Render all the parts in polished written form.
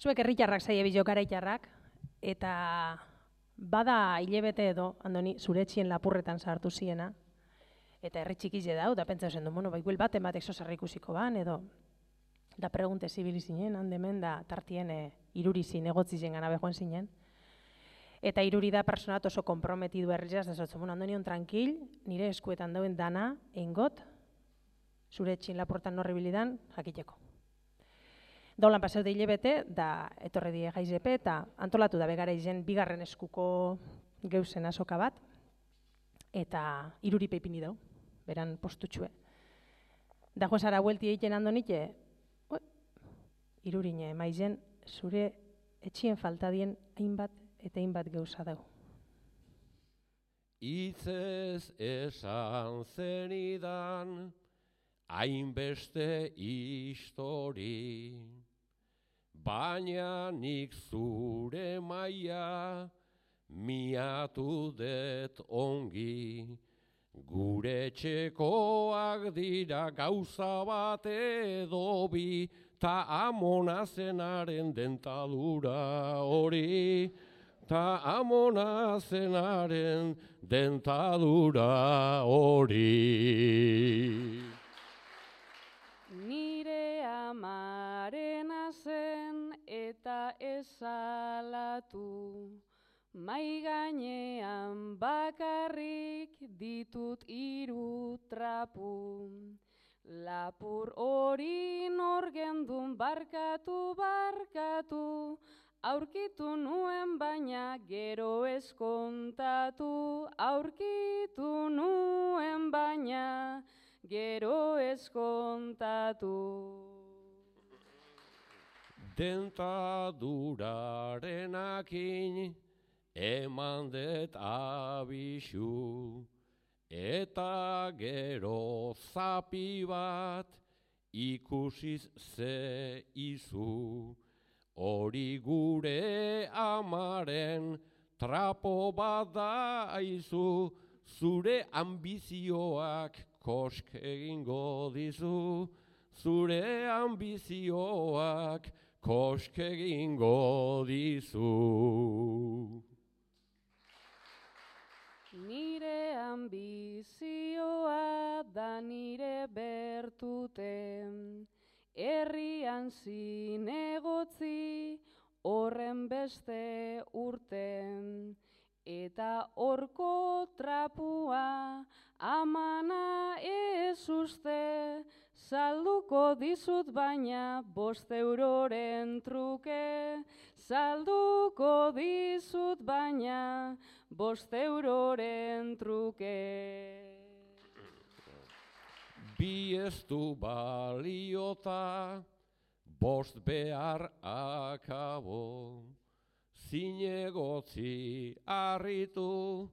Zuek herritarrak zaie bilo garaitarrak, eta bada hilebete edo, Andoni, zure etxien lapurretan sartu ziena, eta herri txikize dau, da pentsa zen du, bueno, bai, baten batek zozerra ikusiko ban, edo, da pregunte zibili zinen, handemen, da tartien irurizin egotzi zen gana behoen zinen. Eta iruri da personat oso komprometidu herriaz, da zotzen, bueno, Andonion tranquil, nire eskuetan dauen dana, eingot, zure etxien lapurretan norribilidan, jakiteko. Daulan paseu de hilebete, da etorre die jaizepe, eta antolatu da begara izen bigarren eskuko geuzen azoka bat, eta iruri peipini dau, beran postutxue. Da joan zara huelti egiten Andonite, irurine maizen zure etxien faltadien hainbat eta hainbat geuza dau. Itzez esan zenidan, hainbeste histori, baina nik zure maia miatu det ongi. Gure txekoak dira gauza bat edo bi, ta amona zenaren dentadura hori, ta amona zenaren dentadura hori. Nire amarena zen eta esalatu, mai gainean bakarrik ditut 3 trapu. Lapur hori nor gendun barkatu, barkatu, aurkitu nuen baina gero ez kontatu, aurkitu nuen baina gero ez kontatu. Dentadurarenakin eman det abisu, eta gero zapi bat ikusiz ze izu. Hori gure amaren trapo bat da aizu, zure ambizioak kosk egingo dizu, zure ambizioak kosk egingo dizu. Nire ambizioa da nire bertute, herrian zinegotzi horren beste urten, eta horko trapua amana ez uste, salduko dizut baina 5 euroren truke, salduko dizut baina 5 euroren truke. Bi ez du baliota, 5 behar akabo, zinegotzi harritu,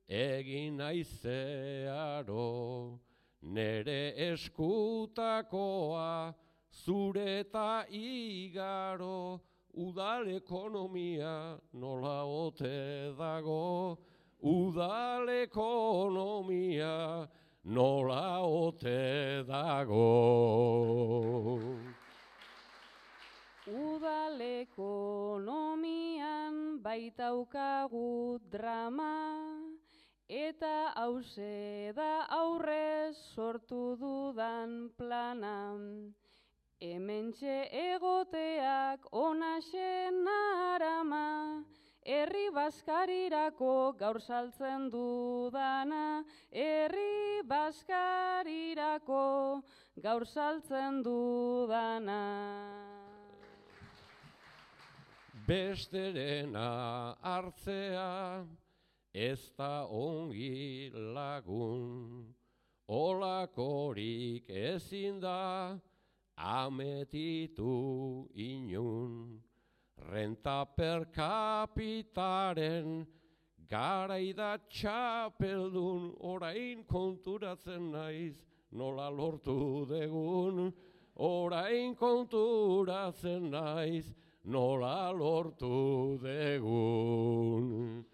egin naizearo, nere eskutakoa, zure eta igaro, udal ekonomia nola ote dago, udal ekonomia nola ote dago. Udal ekonomian baitaukagu drama, eta hauze da aurrez sortu dudan plana. Hementxe egoteak onaxen arama, herri baskarirako gaur saltzen dudana, herri baskarirako gaur saltzen dudana. Besterena hartzea ez da ongi lagun, olakorik ezin da ametitu inun. Renta per capitaren garaida txapeldun, orain konturatzen naiz nola lortu degun, orain konturatzen naiz nola lortu degun.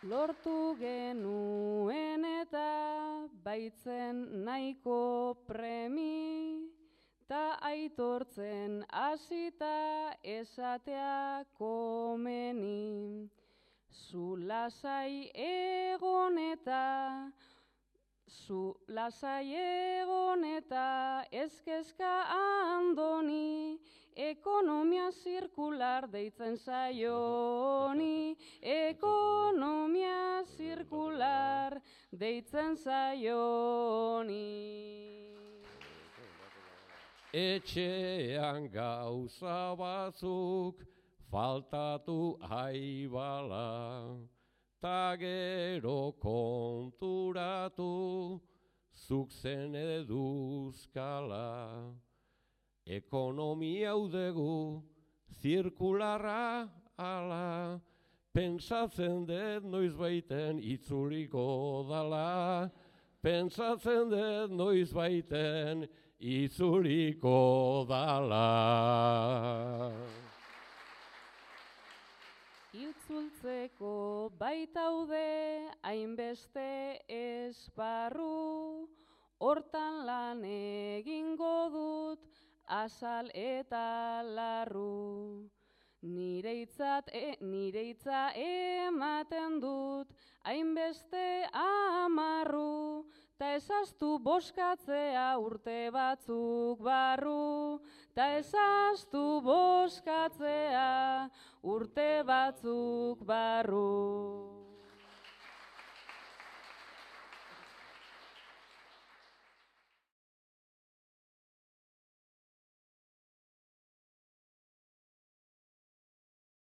Lortu genuen eta baitzen nahiko premi, ta aitortzen hasita esatea komeni. Zu lasai egon eta ez kezka Andoni, ekonomia zirkular deitzen zaioni, ekonomia zirkular deitzen zaioni. Etxean gauza batzuk faltatu aibala, ta gero konturatu zuk zen eduzkala. Ekonomia udegu zirkularra ala, pentsatzen dut noizbaiten itzuliko dala, pentsatzen dut noizbaiten itzuliko dala. Itzultzeko baitaude hainbeste esparru, hortan lan egingo dut azal eta larru. Nire hitza ematen dut hainbeste amarru, ta ezaztu boskatzea urte batzuk barru, ta ezaztu boskatzea urte batzuk barru.